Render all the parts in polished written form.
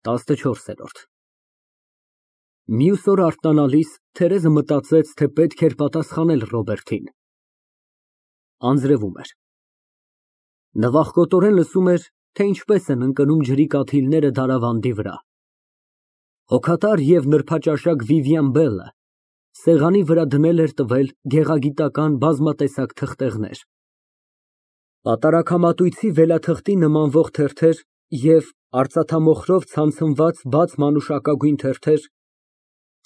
14։ Մյուս օր արթնանալիս Թերեզը մտածեց, թե պետք էր պատասխանել Ռոբերտին։ Անձրևում էր։ Նվախկոտորեն լսում էր, թե ինչպես են ընկնում ջրի կաթիլները դարավանդի վրա։ Հոգատար և նրբաճաշակ Վիվիան Բելը սեղանի վրա դնել էր տվել գեղագիտական բազմատեսակ թղթեղներ, պատարագամատույցի վելաթղթի նմանվող թերթեր և արծաթամոխրով ցանցնված բաց մանուշակագույն թերթեր,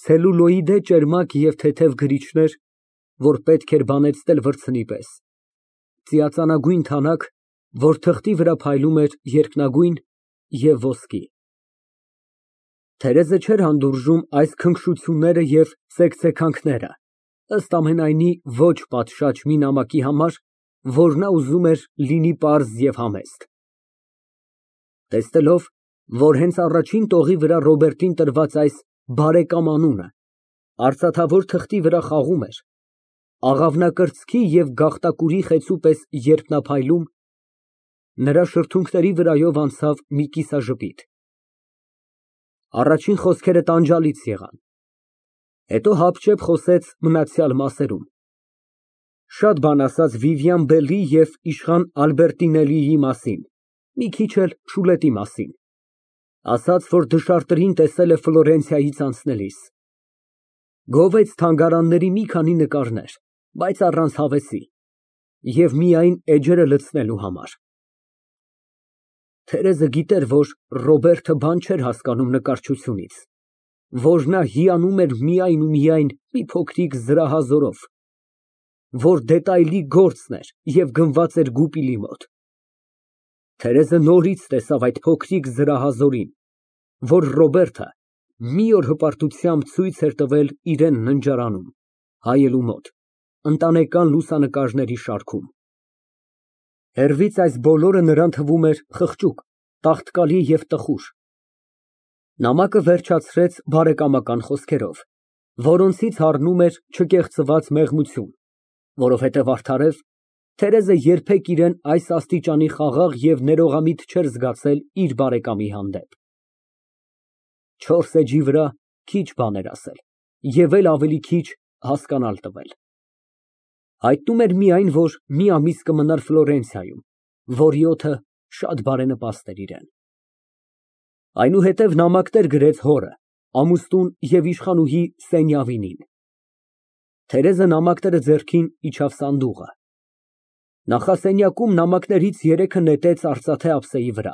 ցելուլոիդե ճերմակ և թեթև գրիչներ, որ պետք էր բանեցնել վրձնի պես, ծիածանագույն թանաք, որ թղթի վրա փայլում էր երկնագույն և ոսկի։ Թերեզը չէր հանդուրժում այս քնքշությունները և ցեկցեքանքները, ըստ ամենայնի ոչ պատշաճ մի նամակի համար, որ նա ուզում էր լինի պարզ և համեստ։ Տեսնելով, որ հենց առաջին տողի վրա Ռոբերտին տրված այս «բարեկամ» անունը արծաթավոր թղթի վրա խաղում էր, աղավնակրծքի և գաղտակուրի խեցու պես երբ նա փայլում, նրա շրթունքների վրայով անցավ մի կիսաժպիտ։ Առաջին խոսքերը տանջալից եղան, հետո հապճեպ խոսեց մնացյալ մասերում, շատ բան ասաց Վիվիան Բելի և իշխան Ալբերտինելիի մասին, մի քիչ էլ Շուլետի մասին, ասաց, որ դշարտերին տեսել է Ֆլորենցիայից անցնելիս, գովեց թանգարանների մի քանի նկարներ, բայց առանց հավեսի և միայն էջերը լցնելու համար։ Թերեզը գիտեր, որ Ռոբերտը բան չէր հասկանում նկարչությունից, որ նա հիանում էր միայն ու միայն մի փոքրիկ զրահազորով, որ դետայլի գործն էր և գնված էր գուպիլի մոտ։ Թերեզը նորից տեսավ այդ փոքրիկ զրահազորին, որ Ռոբերտը մի օր հպարտությամբ ցույց էր տվել իրան ննջարանում, հայելու մոտ, ընտանեկան լուսանկարների շարքում։ Հեռվից այս բոլորը նրան թվում էր խղճուկ, տաղտկալի և տխուր։ Նամակը վերջացրեց բարեկամական խոսքերով, որոնցից հառնում էր չկեղծված մեղմություն, որովհետև արդարև Թերեզը երբեք իրան այս աստիճանի խաղաղ և ներողամիտ չէր զգացել իր բարեկամի հանդեպ։ 4 էջի վրա քիչ բան էր ասել և էլ ավելի քիչ հասկանալ տվել։ Հայտնում էր միայն, որ մի ամիս կմնար Ֆլորենցիայում, որի օդը շատ բարենպաստ էր իրան։ Այնուհետև նամակներ գրեց հորը, ամուսնուն և իշխանուհի Սենյավինին։ Թերեզը նամակները ձեռքին իջավ սանդուղը։ Նախասենյակում նամակներից 3-ը նետեց արծաթե ափսեի վրա,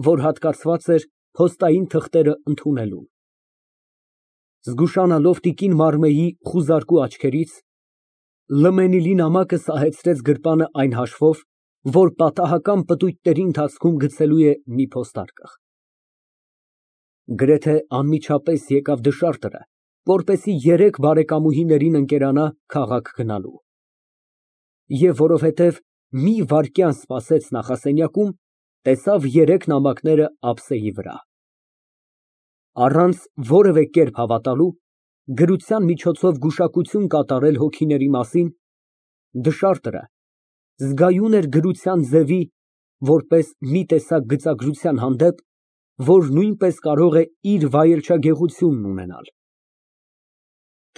որ հատկացված էր փոստային թղթերը ընդունելուն։ Զգուշանալով տիկին Մարմեի խուզարկու աչքերից, լմենիլի նամակը սահեցրեց գրպանը այն հաշվով, որ պատահական պտույտների ընթացքում գցելու է մի փոստարկղ։ Գրեթե անմիջապես եկավ դշարտը, որպեսզի 3 բարեկամուհիներին ընկերանա քաղաք գնալու։ Եվ որովհետև մի վայրկյան սպասեց նախասենյակում, տեսավ 3 նամակները ափսեի վրա։ Առանց որևէ կերպ հավատալու, գրության միջոցով գուշակություն կատարել հոգիների մասին, դշարտը զգայուն էր գրության ձևի, որպես մի տեսակ գծագրության հանդեպ, որ նույնպես կարող է իր վայելչագեղությունն ունենալ։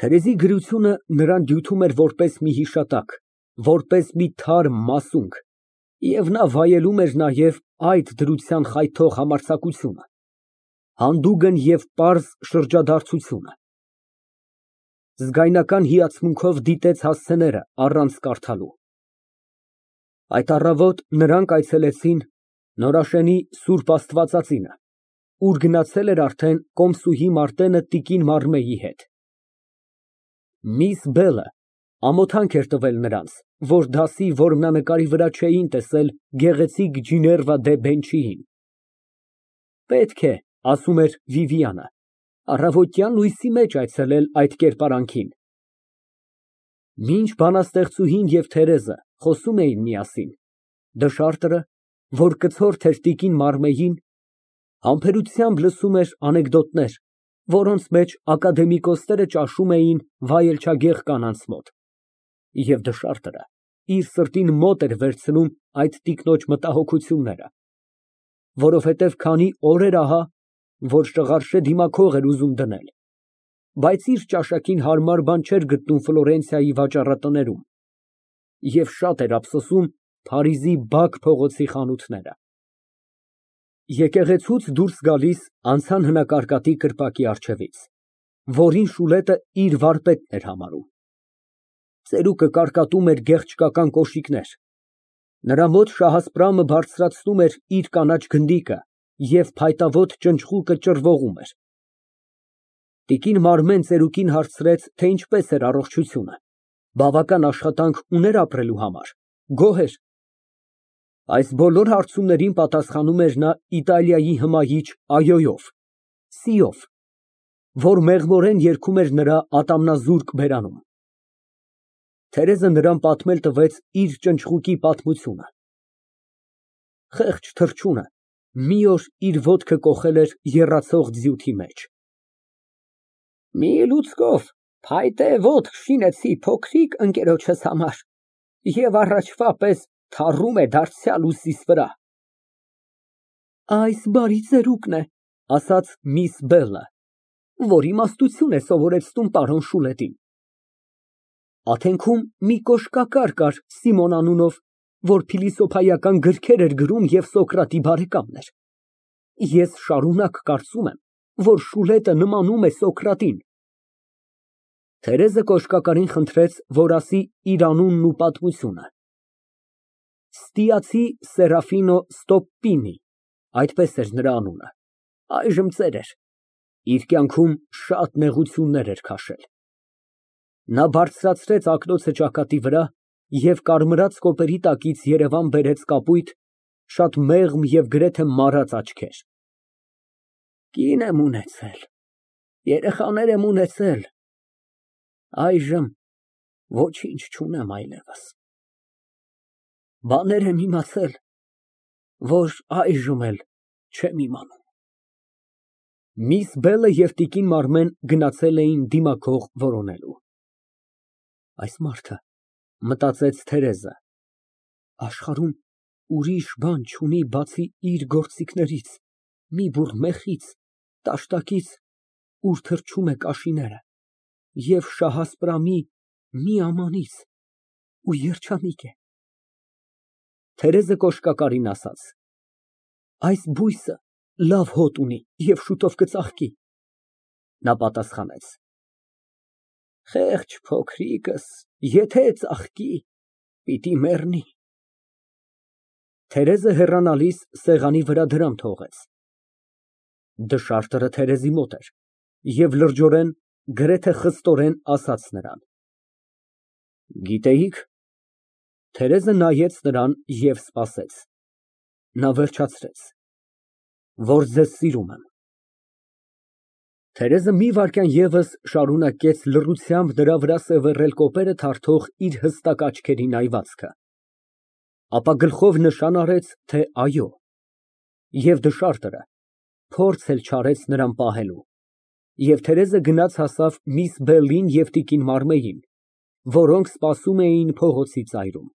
Թերեզի գրությունը նրան դյութում էր որպես մի հիշատակ, որպես մի թարմ մասունք, և նա վայելում էր նաև այդ դրության խայթող համարձակությունը, հանդուգն և պարզ շրջադարձությունը։ Զգայնական հիացմունքով դիտեց հասցեները առանց կարդալու։ Այդ առավոտ նրանք այցելեցին Նորաշենի Սուրբ Աստվածածինը, ուր գնացել էր արդեն կոմսուհի Մարտենը տիկին Մարմեի հետ։ Միս Բելը ամոթանք էր տվել նրանց, որ դասի որմնանկարի վրա չէին տեսել գեղեցիկ Ջիներվա դե Բենչիին։ Պետք է, ասում էր Վիվիանը, առավոտյան լույսի մեջ այցելել այդ կերպարանքին։ Մինչ բանաստեղծուհին և Թերեզը խոսում էին միասին, դշարտը, որ կցորդ էր տիկին Մարմեին, համբերությամբ լսում էր անեկդոտներ, որոնց մեջ ակադեմիկոսները ճաշում էին վայելչագեղ կանանց մոտ, և դշարտը իր սրտին մոտ էր վերցնում այդ տիկնոջ մտահոգությունները, որովհետև քանի օրեր ահա որ շղարշե դիմաքող էր ուզում դնել, բայց իր ճաշակին հարմար բան չէր գտնում Ֆլորենցիայի վաճառատներում և շատ էր ափսոսում Փարիզի բակ փողոցի խանութները։ Եկեղեցուց դուրս գալիս անցան հնակարկատի կրպակի առջևից, որին Շուլետը իր վարպետն էր համարում։ Ծերուկը կարկատում էր գեղչկական կոշիկներ, նրա մոտ Շահասպրամը բարձրացնում էր իր կանաչ գնդիկը և փայտավոտ ճնճղուկը ճռվողում էր։ Տիկին Մարմեն ծերուկին հարցրեց, թե ինչպես էր առողջությունը, բավական աշխատանք ուներ ապրելու համար, գոհ էր։ Այս բոլոր հարցումներին պատասխանում էր նա Իտալիայի հմայիչ այոյով, սիով, որ մեղմորեն երգում էր նրա ատամնազուրկ բերանում։ Թերեզը նրան պատմել տվեց իր ճնճղուկի պատմությունը։ Խեղճ թռչունը մի օր իր ոտքը կոխել էր եռացող ձիութի մեջ։ Մի լուծկով փայտե ոտք շինեցի փոքրիկ ընկերոջս համար և առաջվա պես թառում է դարձյալ ուսիս վրա։ Այս բարի ծերուկն է, ասաց միս Բելլը, որ իմաստություն է սովորեցնում պարոն Շուլետին։ Աթենքում մի կոշկակար կար Սիմոն անունով, որ փիլիսոփայական գրքեր էր գրում և Սոկրատի բարեկամն էր։ Ես շարունակ կարծում եմ, որ Շուլետը նմանում է Սոկրատին։ Թերեզը կոշկակարին խնդրեց, որ ասի իր անունն ու պատմությունը։ Ստիացի Սերաֆինո Ստոպպինի, այդպես էր նրա անունը, այժմ ծեր էր, իր կյանքում շատ նեղություններ էր քաշել։ Նա բարձրացրեց ակնոցը ճակատի վրա և կարմրած կոպերի տակից երևան բերեց կապույտ, շատ մեղմ և գրեթե մարած աչքեր։ Կին եմ ունեցել, երեխաներ եմ ունեցել, այժմ ոչինչ չունեմ այլևս։ Բաներ եմ իմացել, որ այժմ էլ չեմ իմանում։ Միս Բելը և տիկին Մարմեն գնացել էին դիմաքող որոնելու։ Այս մարդը, մտածեց Թերեզը, աշխարհում ուրիշ բան չունի բացի իր գործիքներից, մի բուռ մեխից, տաշտակից, ուր թռչում է կաշիները, և Շահասպրամի մի ամանից ու երջանիկ է։ Թերեզը կոշկակարին ասաց. Այս բույսը լավ հոտ ունի և շուտով կծաղկի։ Նա պատասխանեց. Խեղճ փոքրիկս, եթե ծաղկի, պիտի մեռնի։ Թերեզը հեռանալիս սեղանի վրա դրամ թողեց։ Դշարտը Թերեզի մոտ էր և լրջորեն, գրեթե խստորեն ասաց նրան. Գիտեիք։ Թերեզը նայեց նրան և սպասեց։ Նա վերջացրեց. Որ ձեզ սիրում եմ։ Թերեզը մի վայրկյան ևս շարունակեց լռությամբ նրա վրա սևեռել կոպերը թարթող իր հստակ աչքերի նայվածքը, ապա գլխով նշան արեց, թե այո, և դշարտը փորձ էլ չարեց նրան պահելու, և Թերեզը գնաց հասավ միս Բելլին և տիկին Մարմեին, որոնք սպասում էին փողոցի ծայրում։